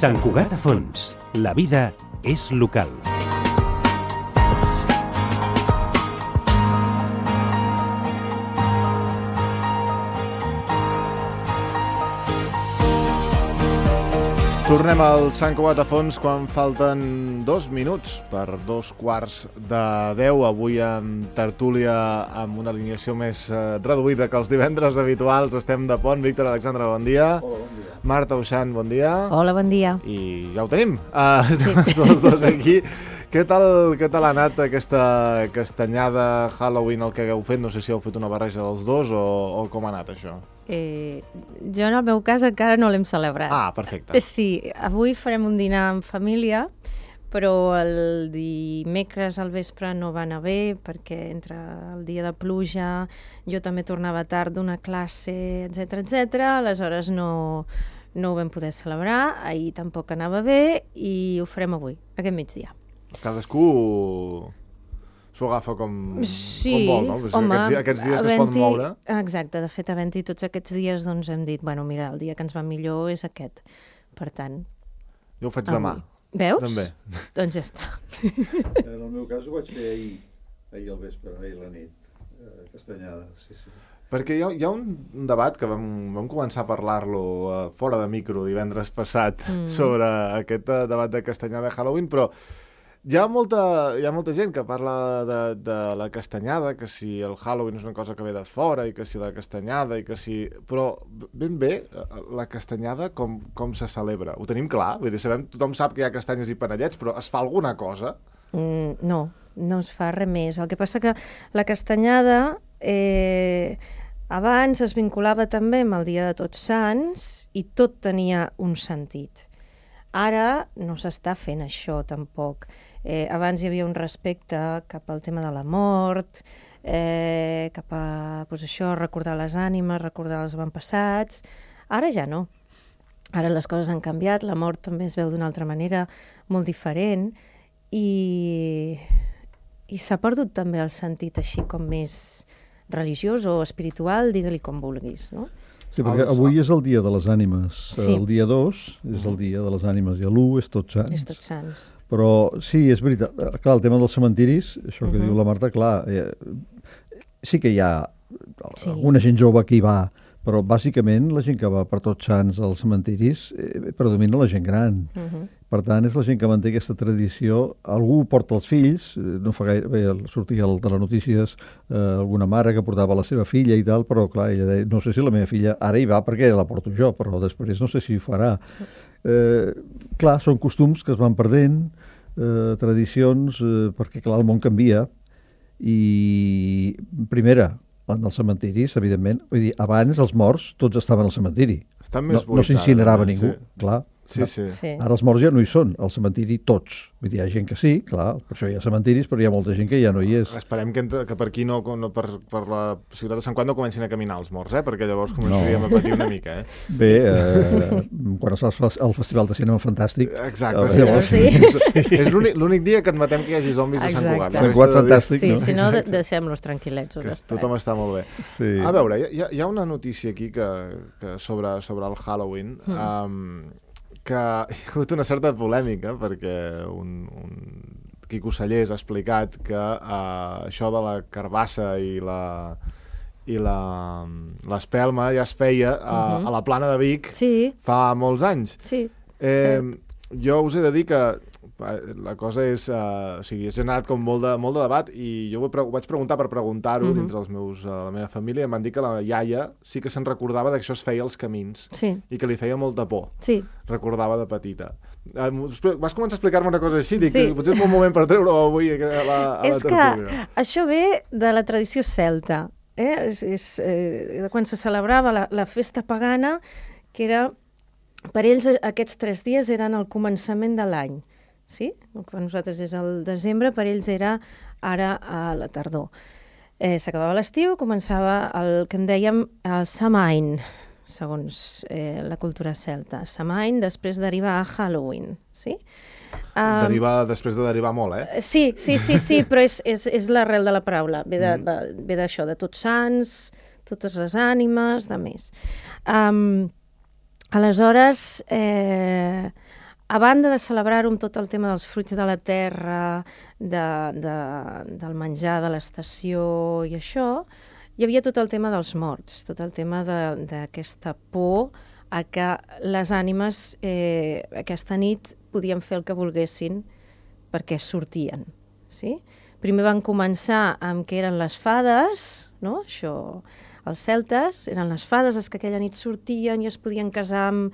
Sant Cugat a Fons. La vida és local. Tornem al Sant Cugat a Fons quan falten 2 minuts per 2:15. Avui en tertúlia amb una alineació més reduïda que els divendres habituals. Estem de pont. Víctor Alexandre, bon dia. Hola, bon dia. Marta Uixant, bon dia. Hola, bon dia. I ja ho tenim, tots dos aquí. Què tal ha anat aquesta castanyada Halloween, el que hagueu fet? No sé si heu fet una barreja dels dos o com ha anat això. Jo en el meu cas encara no l'hem celebrat. Ah, perfecte. Sí, avui farem un dinar en família, però el dimecres al vespre no va anar bé perquè entre el dia de pluja, jo també tornava tard d'una classe, etc. Aleshores no ho vam poder celebrar, ahir tampoc anava bé i ho farem avui, aquest migdia. Cadascú s'ho agafa com vol, no? Home, aquests dies que es poden moure. Exacte, de fet, havent-hi tots aquests dies, doncs hem dit, bueno, mira, el dia que ens va millor és aquest. Per tant... Jo ho faig demà. Veus? També. Doncs ja està. En el meu cas ho vaig fer ahir al vespre, ahir a la nit, castanyada, sí. Perquè hi ha un debat que vam començar a parlar-lo fora de micro divendres passat sobre aquest debat de castanyada de Halloween, però hi ha molta gent que parla de la castanyada, que si el Halloween és una cosa que ve de fora i que si la castanyada i que si... Però ben bé, la castanyada com se celebra? Ho tenim clar? Vull dir, tothom sap que hi ha castanyes i panellets, però es fa alguna cosa? No es fa res més. El que passa que la castanyada abans es vinculava també amb el Dia de Tots Sants i tot tenia un sentit. Ara no s'està fent això tampoc. Abans hi havia un respecte cap al tema de la mort, cap a recordar les ànimes, recordar els avantpassats. Ara ja no. Ara les coses han canviat, la mort també es veu d'una altra manera, molt diferent, i s'ha perdut també el sentit així com més religiós o espiritual, digue-li com vulguis, no? Sí, perquè avui és el dia de les ànimes. Sí. El dia 2 és el dia de les ànimes i l'1 és Tots Sants. És Tots Sants. Però sí, és veritat. Clar, el tema dels cementiris, això que diu la Marta, clar, sí que hi ha alguna gent jove que hi va, però bàsicament la gent que va per Tots Sants als cementiris predomina la gent gran. Per tant, és la gent que manté aquesta tradició. Algú porta els fills, no fa gaire bé, sortia de les notícies alguna mare que portava la seva filla i tal, però clar, ella deia, no sé si la meva filla ara hi va perquè la porto jo, però després no sé si ho farà. Clar, són costums que es van perdent, tradicions, perquè clar, el món canvia, i primera, en els cementiris, evidentment, vull dir, abans els morts tots estaven al cementiri. No s'incinerava ningú, clar. Sí. Ara els morts ja no hi són, al cementiri tots. Vull dir, hi ha gent que sí, clar, per això hi ha cementiris, però hi ha molta gent que ja no hi és. Esperem que per aquí, per la ciutat de Sant Cugat no comencin a caminar els morts, perquè llavors començaríem a patir una mica. Bé, quan es fa el Festival de Cinema Fantàstic... Exacte, sí. És l'únic dia que admetem que hi hagi zombis a Sant Cugat. Sant Cugat fantàstic, no? Sí, si no, deixem-los tranquil·lets. Tothom està molt bé. Sí. A veure, hi ha una notícia aquí sobre el Halloween, que hi ha hagut una certa polèmica perquè un Quico Sallés ha explicat que això de la carbassa i l'espelma ja es feia a la Plana de Vic fa molts anys. Sí. Jo us he de dir que la cosa és... ha generat com molt de debat i jo ho vaig preguntar per preguntar-ho dins la meva família i em van dir que la iaia sí que se'n recordava que això es feia als camins i que li feia molta por. Sí. Recordava de petita. Vas començar a explicar-me una cosa així, dic que potser és un moment per treure-ho avui a la tertúlia. És que això ve de la tradició celta. Quan se celebrava la festa pagana, que era... Per ells aquests 3 dies eren el començament de l'any. Sí? Per nosaltres és el desembre, per ells era ara a la tardor. S'acabava l'estiu, començava el que en dèiem el Samain, segons la cultura celta. Samain després deriva a Halloween, sí? Deriva després de derivar molt, Sí, però és l'arrel de la paraula. Ve d'això, de Tots Sants, totes les ànimes, de més. Aleshores, a banda de celebrar-ho amb tot el tema dels fruits de la terra, del menjar de l'estació i això, hi havia tot el tema dels morts, tot el tema d'aquesta por a que les ànimes aquesta nit podien fer el que volguessin perquè sortien. Sí? Primer van començar amb que eren les fades, no? Això, els celtes, eren les fades les que aquella nit sortien i es podien casar amb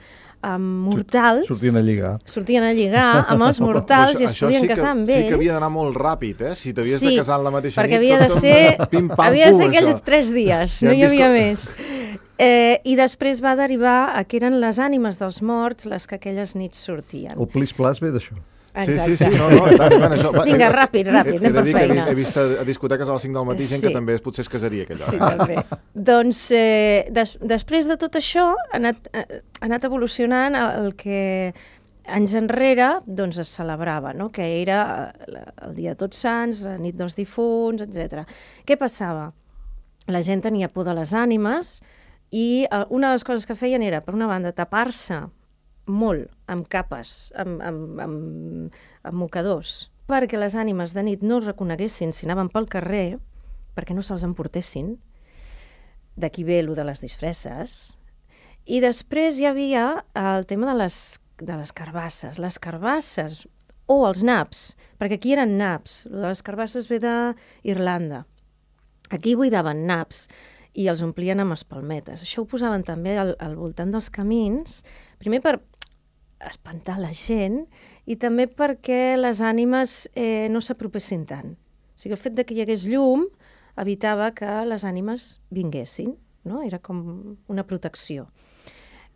mortals. Sortien a lligar. Sortien a lligar amb els mortals i es podien casar amb ells. Sí que havia d'anar molt ràpid, Si t'havies de casar en la mateixa nit... Perquè havia de ser aquells 3 dies, no hi havia més. I després va derivar a que eren les ànimes dels morts les que aquelles nits sortien. El plis-plas ve d'això. Sí, no, tant, això. Vinga, ràpid, anem per feina. He vist a discoteques a les 5 del matí gent que també potser es casaria aquella hora. Sí, també. Doncs després de tot això ha anat evolucionant el que anys enrere doncs, es celebrava, no? Que era el dia de Tots Sants, la nit dels difunts, etc. Què passava? La gent tenia por de les ànimes i una de les coses que feien era, per una banda, tapar-se molt, amb capes, amb mocadors, perquè les ànimes de nit no els reconeguessin si anaven pel carrer, perquè no se'ls emportessin. D'aquí ve el de les disfresses. I després hi havia el tema de les carbasses. Les carbasses, o els naps, perquè aquí eren naps. El de les carbasses ve d'Irlanda. Aquí buidaven naps i els omplien amb espalmetes. Això ho posaven també al voltant dels camins, primer per espantar la gent i també perquè les ànimes no s'apropessin tant. O sigui, el fet que hi hagués llum evitava que les ànimes vinguessin, no? Era com una protecció.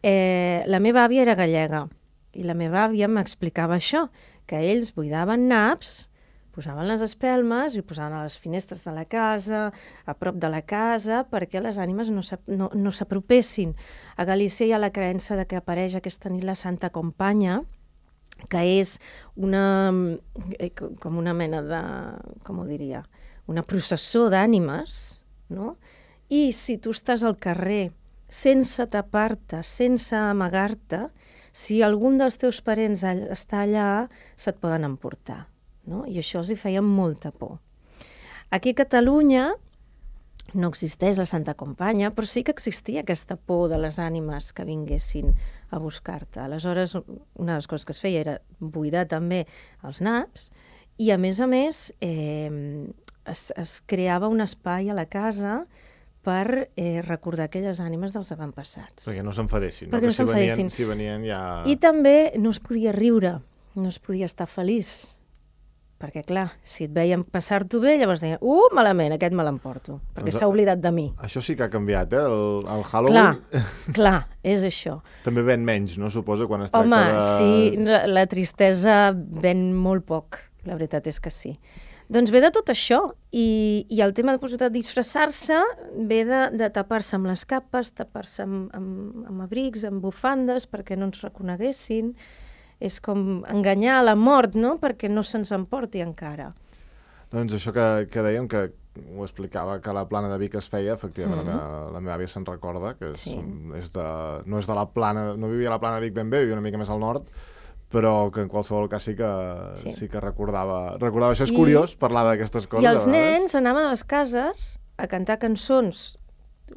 La meva àvia era gallega i la meva àvia m'explicava això, que ells buidaven naps, posaven les espelmes i ho posaven a les finestres de la casa, a prop de la casa, perquè les ànimes no s'apropessin. A Galícia hi ha la creença de que apareix aquesta nit la Santa Companya, que és com una mena de, com ho diria, una processó d'ànimes, no? I si tu estàs al carrer sense tapar-te, sense amagar-te, si algun dels teus parents està allà, se't poden emportar. No? I això els hi feia molta por. Aquí a Catalunya no existeix la Santa Companya, però sí que existia aquesta por de les ànimes que vinguessin a buscar-te. Aleshores, una de les coses que es feia era buidar també els naps i, a més, es creava un espai a la casa per recordar aquelles ànimes dels avantpassats. Perquè no s'enfadessin, no? Perquè no s'enfadessin. Si venien ja... I també no es podia riure, no es podia estar feliç. Perquè, clar, si et veien passar-t'ho bé, llavors deien, malament, aquest me l'emporto, perquè s'ha oblidat de mi. Això sí que ha canviat, el Halloween... Clar, és això. També ven menys, no? Suposo, quan es tracta de... Sí, la tristesa ven molt poc, la veritat és que sí. Doncs ve de tot això, i el tema de disfressar-se ve de tapar-se amb les capes, tapar-se amb abrics, amb bufandes, perquè no ens reconeguessin. És com enganyar la mort, no?, perquè no se'ns emporti encara. Doncs això que dèiem, que ho explicava, que la Plana de Vic es feia, efectivament, la meva àvia se'n recorda, que no és de la Plana, no vivia a la Plana de Vic ben bé, vivia una mica més al nord, però que en qualsevol cas sí que recordava això. És curiós parlar d'aquestes coses. I els nens anaven a les cases a cantar cançons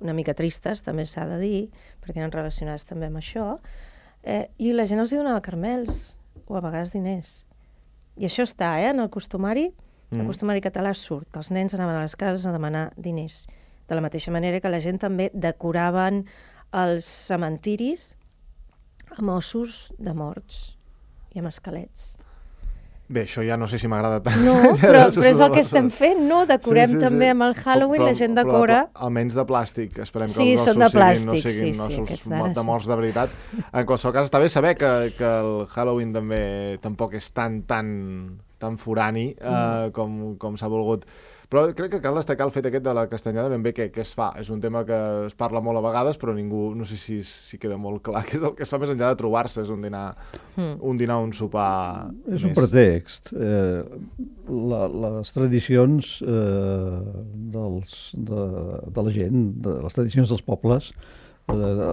una mica tristes, també s'ha de dir, perquè eren relacionades també amb això, i la gent els donava caramels o a vegades diners. I això està, en el costumari. El costumari català surt, que els nens anaven a les cases a demanar diners. De la mateixa manera que la gent també decoraven els cementiris amb ossos de morts i amb esquelets. Bé, això ja no sé si m'agrada tant. No, però és el que estem fent, no? Decorem també amb el Halloween, la gent decora... Almenys de plàstic, esperem que els ossos no siguin ossos de morts de veritat. En qualsevol cas, està bé saber que el Halloween tampoc és tan forani com s'ha volgut. Però crec que cal destacar el fet aquest de la castanyada ben bé què es fa. És un tema que es parla molt a vegades, però ningú, no sé si queda molt clar què és el que es fa més enllà de trobar-se, és un dinar, un sopar És un pretext. Les tradicions de la gent, les tradicions dels pobles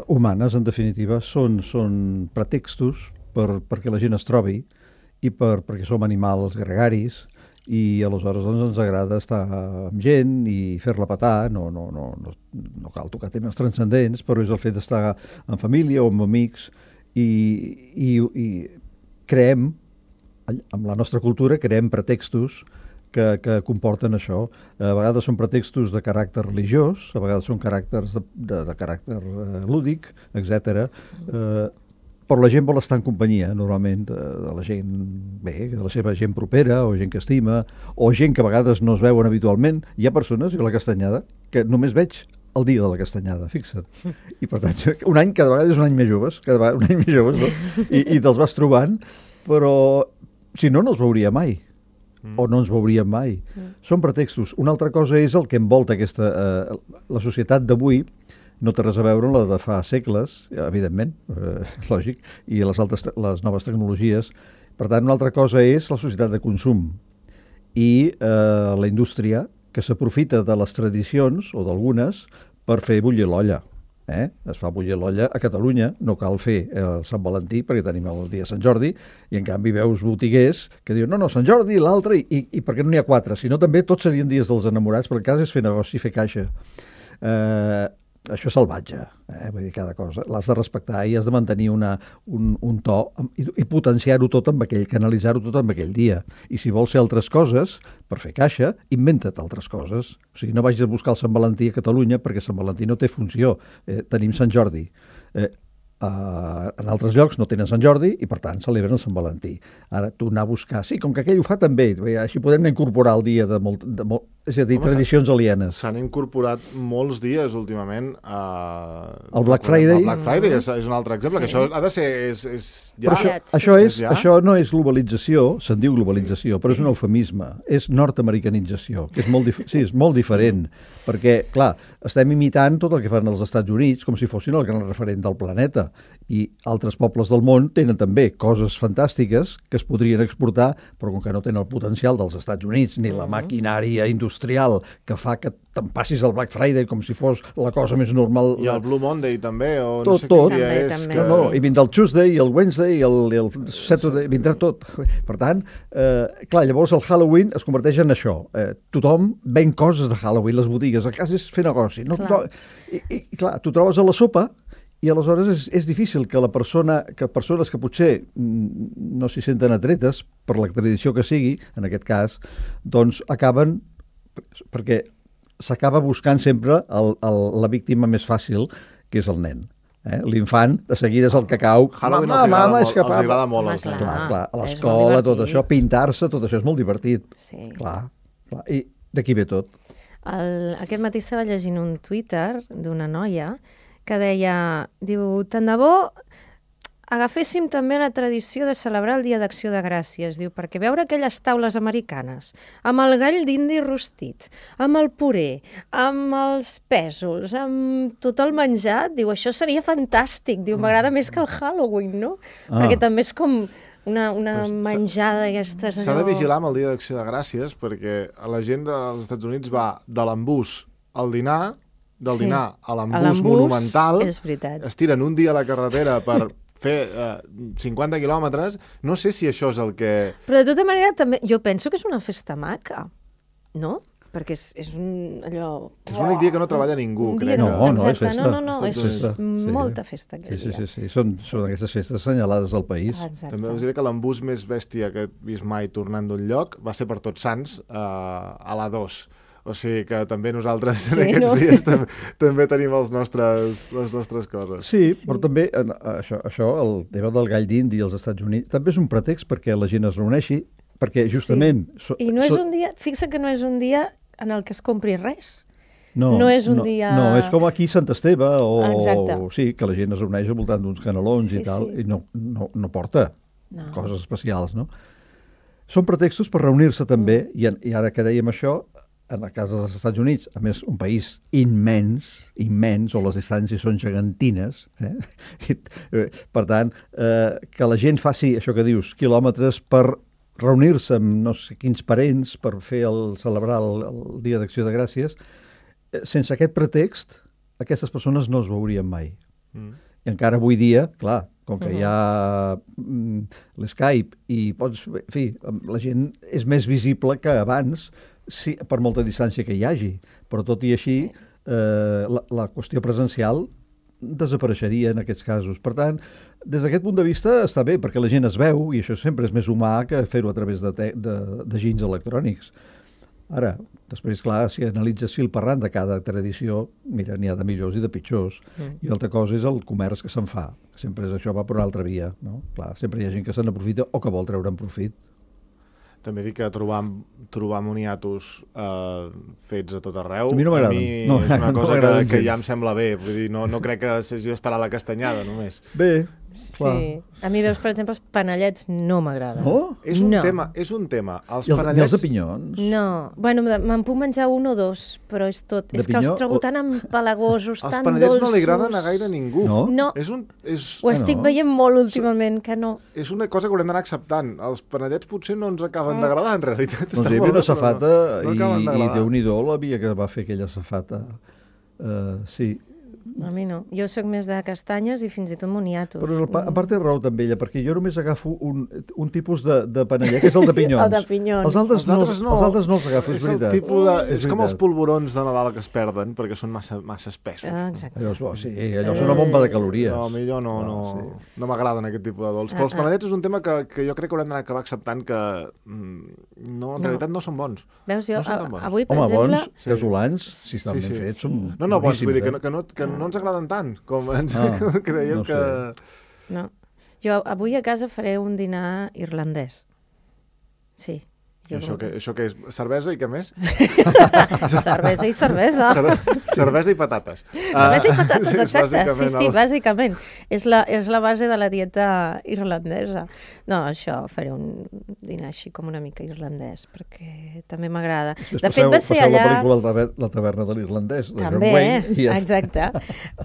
humanes, en definitiva, són pretextos perquè la gent es trobi i perquè som animals gregaris i aleshores doncs, ens agrada estar amb gent i fer-la petar, no cal tocar temes transcendents, però és el fet d'estar en família o amb amics i creem, amb la nostra cultura, creem pretextos que comporten això. A vegades són pretextos de caràcter religiós, a vegades són caràcters de caràcter lúdic, etc. Però la gent vol estar en companyia, normalment, de la gent bé, de la seva gent propera, o gent que estima, o gent que a vegades no es veuen habitualment. Hi ha persones, jo a la Castanyada, que només veig el dia de la Castanyada, fixa't. I per tant, un any, cada vegada és un any més joves, no? I te'ls vas trobant, però si no, no els veuria mai. O no ens veuríem mai. Són pretextos. Una altra cosa és el que envolta la societat d'avui, no té res a veure amb la de fa segles, evidentment, lògic, i les noves tecnologies. Per tant, una altra cosa és la societat de consum i la indústria que s'aprofita de les tradicions, o d'algunes, per fer bullir l'olla. Es fa bullir l'olla a Catalunya, no cal fer el Sant Valentí perquè tenim el dia de Sant Jordi, i en canvi veus botiguers que diuen no, Sant Jordi, l'altre, i per què no n'hi ha 4? Si no, també tots serien dies dels enamorats, perquè el cas és fer negoci, fer caixa. Això és salvatge, vull dir, cada cosa. L'has de respectar i has de mantenir un to i potenciar-ho tot amb aquell, canalitzar-ho tot amb aquell dia. I si vols fer altres coses, per fer caixa, inventa't altres coses. O sigui, no vagis a buscar el Sant Valentí a Catalunya perquè Sant Valentí no té funció. Tenim Sant Jordi. En altres llocs no tenen Sant Jordi i, per tant, celebren el Sant Valentí. Ara, tu anar a buscar... Sí, com que aquell ho fa també, així podem incorporar el dia de molt... És a dir, tradicions alienes. S'han incorporat molts dies últimament el Black Friday. El Black Friday és un altre exemple, que això ha de ser... Però això no és globalització, se'n diu globalització, però és un eufemisme, és nord-americanització, que és molt diferent, perquè, clar, estem imitant tot el que fan els Estats Units com si fossin el gran referent del planeta, i altres pobles del món tenen també coses fantàstiques que es podrien exportar, però com que no tenen el potencial dels Estats Units ni la maquinària industrial que fa que te'n passis el Black Friday com si fos la cosa més normal. I el Blue Monday també, o tot, no sé quin dia és. També. Que... No, i vindrà el Tuesday, i el Wednesday, i el Saturday, vindrà tot. Per tant, clar, llavors el Halloween es converteix en això. Tothom ven coses de Halloween, les botigues, el cas és fer negoci. No, I clar, tu trobes a la sopa i aleshores és difícil que persones que potser no s'hi senten atretes per la tradició que sigui, en aquest cas, doncs acaben, perquè s'acaba buscant sempre la víctima més fàcil, que és el nen. L'infant, de seguida és el que cau. Halloween els agrada molt. Clar, a l'escola, tot això, pintar-se, tot això és molt divertit. Sí. Clar. I d'aquí ve tot. Aquest matí estava llegint un Twitter d'una noia que diu, tant de bo agaféssim també la tradició de celebrar el Dia d'Acció de Gràcies, diu, perquè veure aquelles taules americanes, amb el gall d'indi rostit, amb el puré, amb els pèsols, amb tot el menjar, diu, això seria fantàstic, diu, m'agrada més que el Halloween, no? Perquè també és com una menjada d'aquestes... S'ha de vigilar amb el Dia d'Acció de Gràcies, perquè la gent dels Estats Units va de l'embús al dinar, del dinar a l'embús monumental, es tiren un dia a la carretera per fer 50 quilòmetres, no sé si això és el que... Però de tota manera, també, jo penso que és una festa maca, no? Perquè és allò... És l'únic dia que no treballa ningú, crec. No, és festa. No, és molta festa aquell dia. Sí. Són aquestes festes assenyalades del país. Exacte. També us diré que l'embús més bèstia que he vist mai tornant d'un lloc va ser per Tots Sants a l'A2. O sigui que també nosaltres en aquests dies també tenim les nostres coses. Sí, però també això, el tema del gall d'indi als Estats Units, també és un pretext perquè la gent es reuneixi, perquè justament... Sí. I no és un dia, fixa que no és un dia en el que es compri res. No és un dia... No, és com aquí Sant Esteve, Exacte. Sí, que la gent es reuneix al voltant d'uns canelons i tal, i no porta coses especials, no? Són pretextos per reunir-se també, i ara que dèiem això, en el cas dels Estats Units, a més, un país immens, on les distàncies són gegantines, per tant, que la gent faci, això que dius, quilòmetres per reunir-se amb no sé quins parents per celebrar el Dia d'Acció de Gràcies, sense aquest pretext, aquestes persones no es veurien mai. I encara avui dia, clar, com que hi ha l'Skype i pots... En fi, la gent és més visible que abans, sí, per molta distància que hi hagi, però tot i així la qüestió presencial desapareixeria en aquests casos. Per tant, des d'aquest punt de vista està bé, perquè la gent es veu i això sempre és més humà que fer-ho a través de ginys electrònics. Ara, després, clar, si analitzes fil per randa cada tradició, mira, n'hi ha de millors i de pitjors. I altra cosa és el comerç que se'n fa. Sempre això va per una altra via, no? Clar, sempre hi ha gent que se n'aprofita o que vol treure'n profit. També dic que trobar moniatos fets a tot arreu, a mi no m'agraden. És una cosa que ja em sembla bé. Vull dir, no crec que s'hagi d'esperar la castanyada, només. Bé, clar. Sí. A mi, veus, per exemple, els panellets no m'agraden. No? És un tema. Els I els panellets... de pinyons? No. Bueno, me'n puc menjar un o dos, però és tot. De És que els pinyó trobo tan empalagosos, Els tan panellets dolços. no li agraden a gaire ningú. No? No. Ho estic veient molt últimament, que no. És una cosa que haurem d'anar acceptant. Els panellets potser no ens acaben d'agradar, en realitat. Doncs hi havia una safata no acaben i d'agradar. Déu-n'hi-do la via que va fer aquella safata. Sí. A mi no. Jo sóc més de castanyes i fins i tot moniatos. Però a part té raó també ella, perquè jo només agafo un tipus de panellet, que és el de pinyons. El de pinyons. Els altres no els agafo, és veritat. És com els polvorons de Nadal que es perden, perquè són massa espessos. Exacte. Allò és una bomba de calories. No, a mi no m'agraden aquest tipus de dolç. Però els panellets és un tema que jo crec que haurem d'anar acabar acceptant que en realitat no són bons. Veus, jo No són tan bons. avui, per Home, exemple... bons, casolans, si estan ben fets, són No, bons, vull dir boníssims, que no ens agraden tant com ens creiem no que... No. Jo avui a casa faré un dinar irlandès. Sí. Això que és cervesa i què més? Cervesa i cervesa. Cervesa i patates. Cervesa i patates, exacte. Sí, el- bàsicament. És la base de la dieta irlandesa. No, això, faré un dinar així com una mica irlandès, perquè també m'agrada. De fet, va ser allà... la pel·lícula La taverna de l'irlandès, de John També, Wayne. exacte.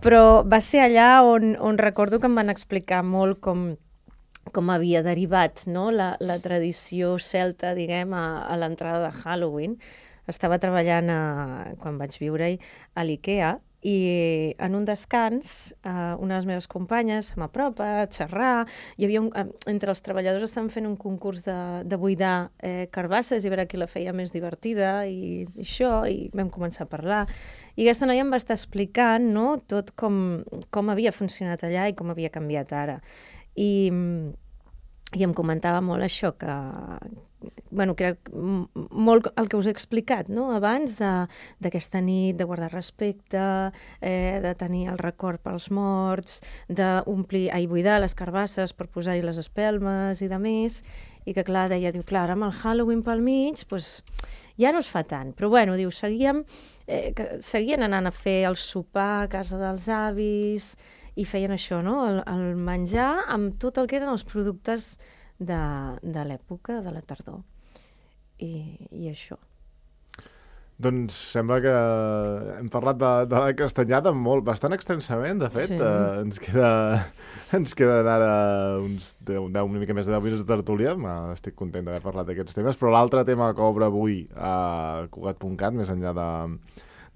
Però va ser allà on recordo que em van explicar molt com havia derivat, no? la tradició celta, diguem, a l'entrada de Halloween. Estava treballant, quan vaig viure-hi, a l'IKEA, i en un descans una de les meves companyes se m'apropa a xerrar. Hi havia entre els treballadors estaven fent un concurs de buidar carbasses i veure qui la feia més divertida i això, i vam començar a parlar. I aquesta noia em va estar explicant, no, tot com havia funcionat allà i com havia canviat ara. I em comentava molt això, que era molt el que us he explicat, no? Abans d'aquesta nit, de guardar respecte, de tenir el record pels morts, buidar les carbasses per posar-hi les espelmes i de més, i que clar, clar, amb el Halloween pel mig, doncs, ja no es fa tant. Però bueno, diu, seguien anant a fer el sopar a casa dels avis i feien això, no? El menjar amb tot el que eren els productes de l'època, de la tardor. I això. Doncs sembla que hem parlat de la castanyada bastant extensament, de fet. Sí. Ens queden ara uns 10, una mica més de 10 minuts de tertúlia. Estic content d'haver parlat d'aquests temes, però l'altre tema que obre avui a Cugat.cat, més enllà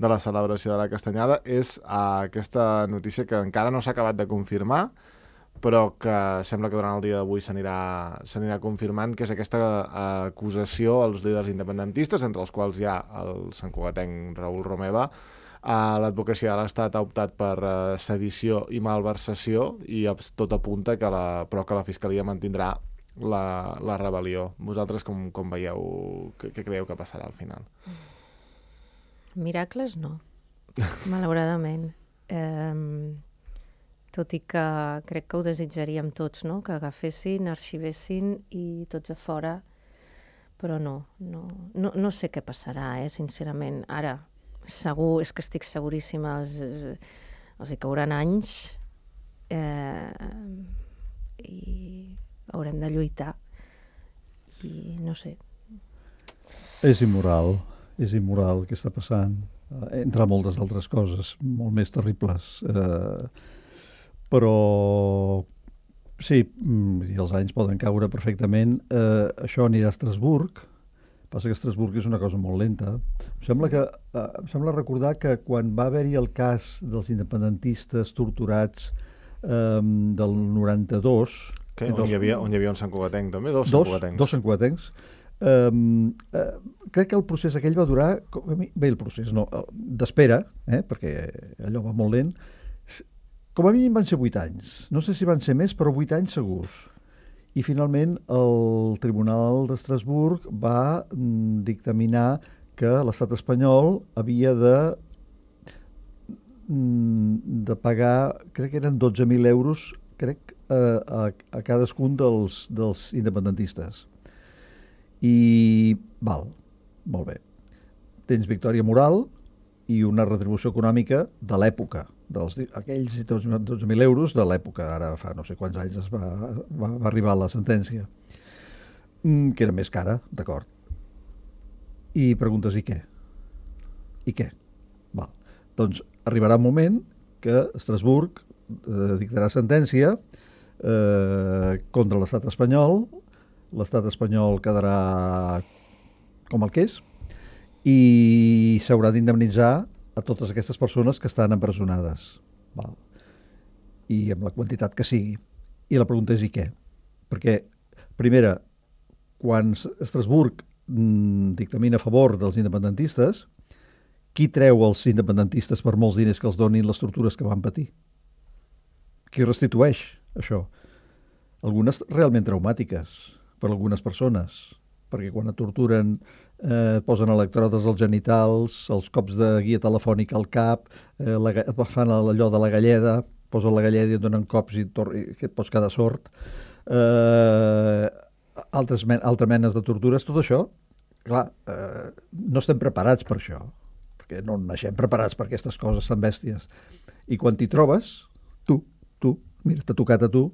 de la celebració de la castanyada, és aquesta notícia que encara no s'ha acabat de confirmar, però que sembla que durant el dia d'avui s'anirà confirmant, que és aquesta acusació als líders independentistes, entre els quals hi ha el santcugatenc Raül Romeva. L'advocacia de l'Estat ha optat per sedició i malversació i tot apunta que la Fiscalia mantindrà la rebel·lió. Vosaltres com veieu, què creieu que passarà al final? Miracles no, malauradament. Tot i que crec que ho desitjaríem tots, no? Que agafessin, arxivessin i tots a fora, però no sé què passarà, sincerament. Ara, segur, és que estic seguríssima, els hi cauran anys i haurem de lluitar i no sé. És immoral el que està passant, entre moltes altres coses molt més terribles. Però sí, els anys poden caure perfectament. Això anirà a Estrasburg. Passa que Estrasburg és una cosa molt lenta. Em sembla recordar que quan va haver-hi el cas dels independentistes torturats del 92... On hi havia un santcugatenc també? Dos santcugatencs. Crec que el procés aquell va durar... Bé, el procés no, d'espera, perquè allò va molt lent. Com a mínim van ser 8 anys. No sé si van ser més, però 8 anys segurs. I finalment el Tribunal d'Estrasburg va dictaminar que l'estat espanyol havia de pagar, crec que eren 12.000 euros, a cadascun dels independentistes. I val, molt bé. Tens victòria moral i una retribució econòmica de l'època, aquells 12.000 euros de l'època, ara fa no sé quants anys va arribar la sentència, que era més cara, d'acord. I preguntes, i què? I què? Val. Doncs arribarà un moment que Estrasburg dictarà sentència contra l'estat espanyol quedarà com el que és i s'haurà d'indemnitzar a totes aquestes persones que estan empresonades. Val. I amb la quantitat que sigui. I la pregunta és i què? Perquè, primera, quan Estrasburg dictamina a favor dels independentistes, qui treu els independentistes per molts diners que els donin les tortures que van patir? Qui restitueix això? Algunes realment traumàtiques per a algunes persones, perquè quan et torturen posen electrodes als genitals, els cops de guia telefònica al cap, fan allò de la galleda, posen la galleda i et donen cops i que et pots quedar sord. Altres menes de tortures, tot això, clar, no estem preparats per això, perquè no naixem preparats per aquestes coses tan bèsties. I quan t'hi trobes, tu, mira, t'ha tocat a tu,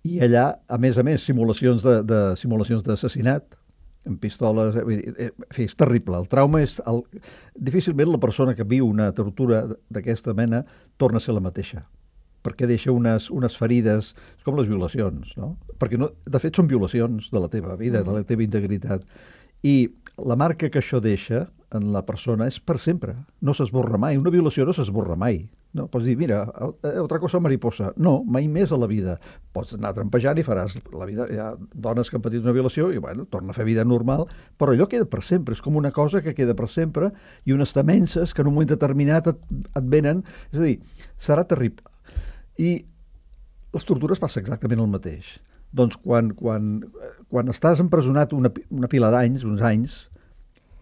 i allà, a més, simulacions d'assassinat, amb pistoles, és terrible. El trauma és... Difícilment la persona que viu una tortura d'aquesta mena torna a ser la mateixa, perquè deixa unes ferides, és com les violacions, no? Perquè, de fet, són violacions de la teva vida, de la teva integritat. I la marca que això deixa en la persona és per sempre. No s'esborra mai. Una violació no s'esborra mai. No, pots dir, mira, otra cosa mariposa. No, mai més a la vida. Pots anar trampejant i faràs la vida. Hi ha dones que han patit una violació i, bueno, torna a fer vida normal, però allò queda per sempre. És com una cosa que queda per sempre i unes temences que en un moment determinat et venen. És a dir, serà terrible. I les tortures passa exactament el mateix. Doncs quan estàs empresonat una pila d'anys, uns anys,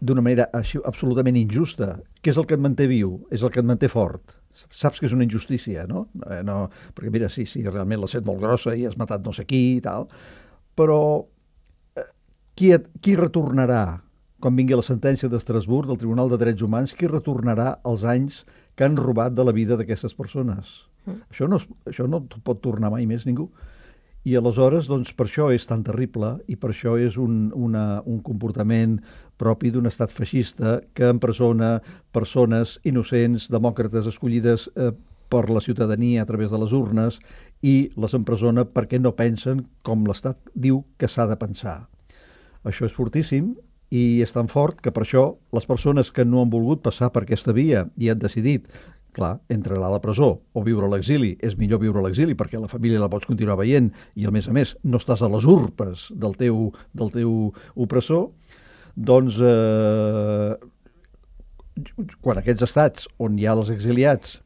d'una manera absolutament injusta, què és el que et manté viu? És el que et manté fort. Saps que és una injustícia, no? Perquè mira, sí, realment la set molt grossa i has matat no sé qui i tal, però qui retornarà, quan vingui la sentència d'Estrasburg, del Tribunal de Drets Humans, qui retornarà els anys que han robat de la vida d'aquestes persones? Això no pot tornar mai més ningú. I aleshores, doncs, per això és tan terrible i per això és un comportament propi d'un estat feixista que empresona persones innocents, demòcrates escollides per la ciutadania a través de les urnes i les empresona perquè no pensen com l'Estat diu que s'ha de pensar. Això és fortíssim i és tan fort que per això les persones que no han volgut passar per aquesta via i han decidit, clar, entre anar a la presó o viure a l'exili, és millor viure a l'exili perquè la família la pots continuar veient i a més no estàs a les urpes del teu opressor, doncs quan aquests estats on hi ha els exiliats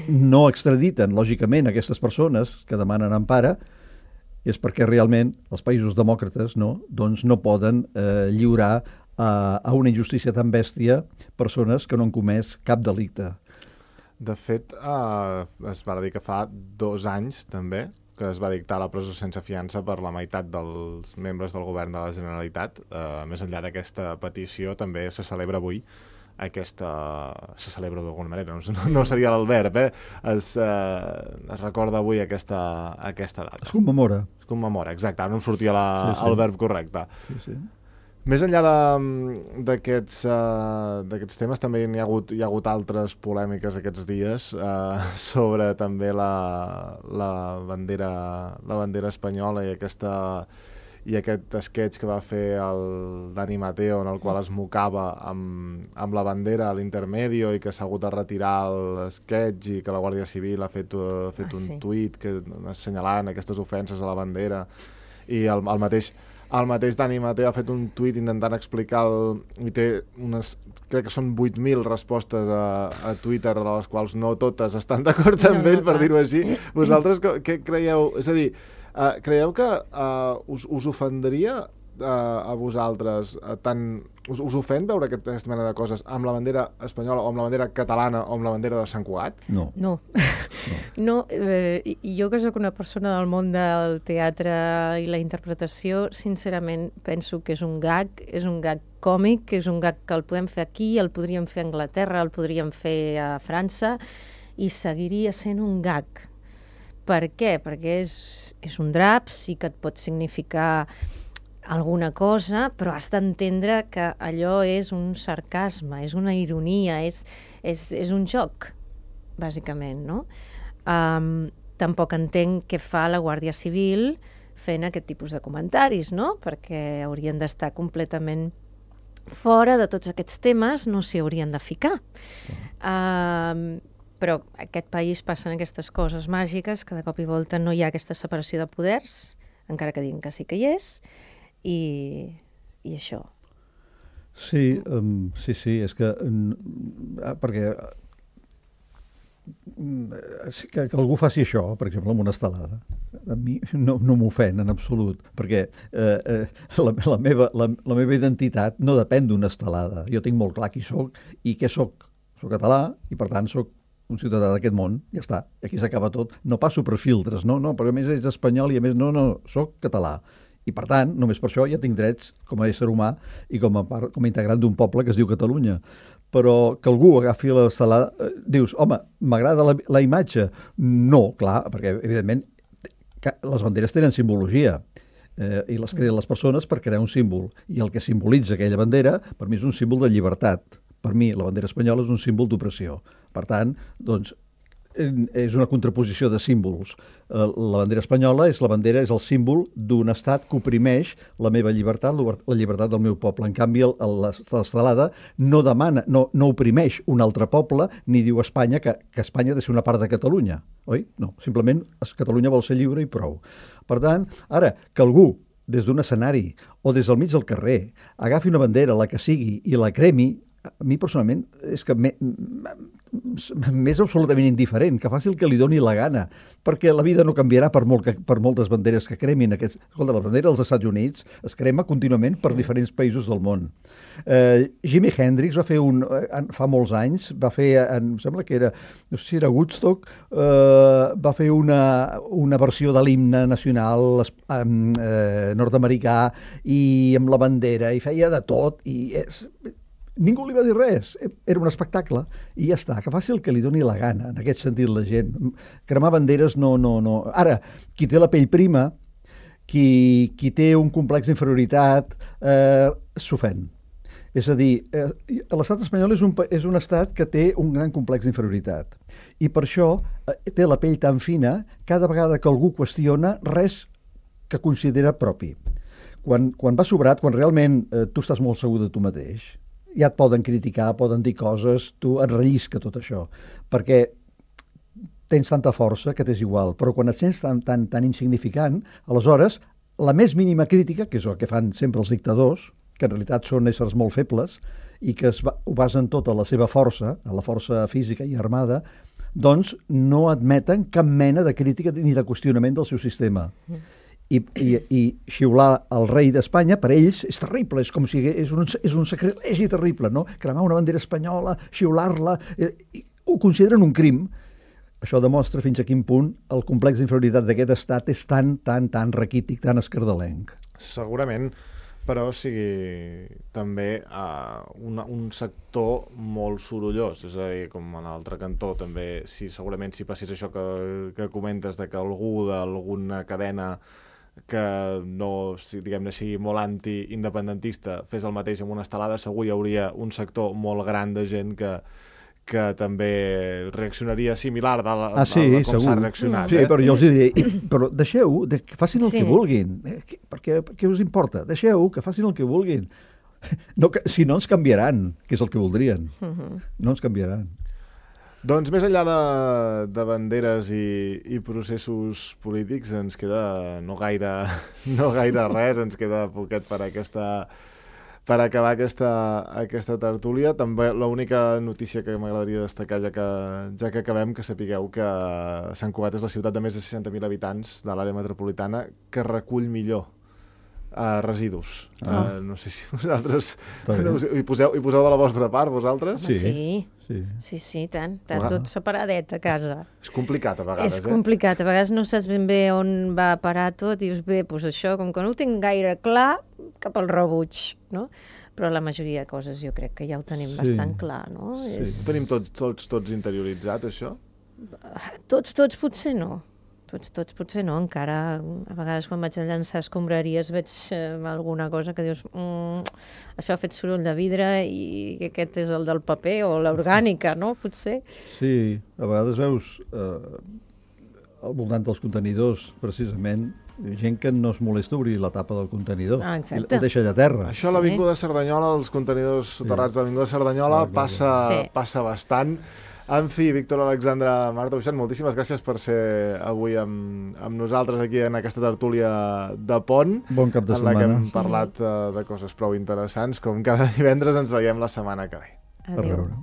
no extraditen, lògicament, aquestes persones que demanen empara, és perquè realment els països demòcrates doncs no poden lliurar a una injustícia tan bèstia persones que no han comès cap delicte. De fet, es va dir que fa 2 anys, també, que es va dictar la presó sense fiança per la meitat dels membres del govern de la Generalitat. Més enllà d'aquesta petició, també se celebra avui se celebra d'alguna manera, no seria el verb, es recorda avui aquesta data. Es commemora. Es commemora, exacte, ara no em sortia el verb correcte. Sí. Més enllà d'aquests temes, també hi ha hagut altres polèmiques aquests dies sobre també la bandera espanyola i i aquest sketch que va fer el Dani Mateo, en el qual es mocava amb la bandera a l'intermedio i que s'ha hagut de retirar el sketch i que la Guàrdia Civil ha fet un tuit assenyalant aquestes ofenses a la bandera, i el mateix Dani Mateo ha fet un tuit intentant explicar i té crec que són 8.000 respostes a Twitter, de les quals no totes estan d'acord amb ell, per dir-ho així. Vosaltres què creieu? És a dir, creieu que us ofendria a vosaltres us ofèn veure aquesta mena de coses amb la bandera espanyola o amb la bandera catalana o amb la bandera de Sant Cugat? No. Jo que sóc una persona del món del teatre i la interpretació, sincerament penso que és un gag còmic, que és un gag que el podem fer aquí, el podríem fer a Anglaterra, el podríem fer a França i seguiria sent un gag. Per què? Perquè és un drap, sí que et pot significar alguna cosa, però has d'entendre que allò és un sarcasme, és una ironia, és un joc, bàsicament, no? Tampoc entenc què fa la Guàrdia Civil fent aquest tipus de comentaris, no? Perquè haurien d'estar completament fora de tots aquests temes, no s'hi haurien de ficar. Però a aquest país passen aquestes coses màgiques que de cop i volta no hi ha aquesta separació de poders, encara que diguin que sí que hi és, i això. Sí, és que perquè que algú faci això, per exemple, amb una estelada, a mi no m'ofèn en absolut, perquè la meva identitat no depèn d'una estelada. Jo tinc molt clar qui soc i què soc. Soc català i, per tant, soc un ciutadà d'aquest món, ja està, aquí s'acaba tot. No passo per filtres, no, però a més és espanyol i a més no, soc català. I, per tant, només per això ja tinc drets com a ésser humà i com a integrant d'un poble que es diu Catalunya. Però que algú agafi l'estelada, dius, home, m'agrada la imatge? No, clar, perquè, evidentment, les banderes tenen simbologia i les creen les persones per crear un símbol. I el que simbolitza aquella bandera, per mi, és un símbol de llibertat. Per mi, la bandera espanyola és un símbol d'opressió. Per tant, doncs, és una contraposició de símbols. La bandera espanyola és el símbol d'un estat que oprimeix la meva llibertat, la llibertat del meu poble. En canvi, l'estelada no demana, no oprimeix un altre poble, ni diu a Espanya que Espanya ha de ser una part de Catalunya, oi? No, simplement Catalunya vol ser lliure i prou. Per tant, ara, que algú des d'un escenari o des del mig del carrer agafi una bandera, la que sigui, i la cremi, a mi personalment és que m'és absolutament indiferent, que faci el que li doni la gana, perquè la vida no canviarà per moltes banderes que cremin. Escolta, la bandera dels Estats Units es crema contínuament per diferents països del món. Jimi Hendrix va fer fa molts anys, va fer, em sembla que era, no sé si era Woodstock, va fer una versió de l'himne nacional nord-americà i amb la bandera, i feia de tot, i ningú li va dir res, era un espectacle i ja està, que faci el que li doni la gana, en aquest sentit la gent. Cremar banderes no. Ara, qui té la pell prima, qui té un complex d'inferioritat, s'ofèn. És a dir, l'estat espanyol és un estat que té un gran complex d'inferioritat i per això té la pell tan fina cada vegada que algú qüestiona res que considera propi. Quan va sobrat, quan realment tu estàs molt segur de tu mateix, ja et poden criticar, poden dir coses, tu et rellisca tot això, perquè tens tanta força que t'és igual, però quan et sents tan insignificant, aleshores, la més mínima crítica, que és el que fan sempre els dictadors, que en realitat són éssers molt febles i que ho basen tot a la seva força, a la força física i armada, doncs no admeten cap mena de crítica ni de qüestionament del seu sistema. I xiular el rei d'Espanya, per ells, és terrible, és com si és un sacrilegi terrible, no? Cremar una bandera espanyola, xiular-la, ho consideren un crim. Això demostra fins a quin punt el complex d'inferioritat d'aquest estat és tan raquític, tan escardalenc. Segurament, però sigui també un sector molt sorollós, és a dir, com en l'altre cantó també, segurament si passés això que comentes de que algú d'alguna cadena que no, diguem-ne, sigui molt anti-independentista fes el mateix amb una estelada, segur hi hauria un sector molt gran de gent que que també reaccionaria similar com segur. s'ha reaccionat. Sí, però jo els diré, però deixeu, que facin el Sí. que vulguin. Què us importa? Deixeu que facin el que vulguin. No, si no ens canviaran, que és el que voldrien. No ens canviaran. Doncs més enllà de banderes i processos polítics ens queda no gaire res, ens queda poquet per acabar aquesta tertúlia. També l'única notícia que m'agradaria destacar, ja que acabem, que sapigueu que Sant Cugat és la ciutat de més de 60.000 habitants de l'àrea metropolitana que recull millor residus. No sé si vosaltres hi poseu de la vostra part, vosaltres? Sí, tant, tot separadet a casa. És complicat a vegades, És complicat, a vegades no saps ben bé on va a parar tot i dius, bé, doncs això, com que no ho tinc gaire clar, cap al rebuig, no? Però la majoria de coses jo crec que ja ho tenim bastant clar, no? Ho tenim tots interioritzat, això? Tots potser no. Tots potser no, encara a vegades quan vaig a llançar escombraries veig alguna cosa que dius això ha fet soroll de vidre i aquest és el del paper o l'orgànica, no? Potser. Sí, a vegades veus al voltant dels contenidors, precisament, gent que no es molesta a obrir la tapa del contenidor i el deixa allà a terra. Això a l'Avinguda Cerdanyola, els contenidors soterrats de l'Avinguda Cerdanyola, passa bastant. En fi, Víctor Alexandre, Marta Buixant, moltíssimes gràcies per ser avui amb nosaltres aquí en aquesta tertúlia de Pont. Bon cap de setmana. En la que hem parlat de coses prou interessants. Com cada divendres ens veiem la setmana que ve. Adéu. Per veure.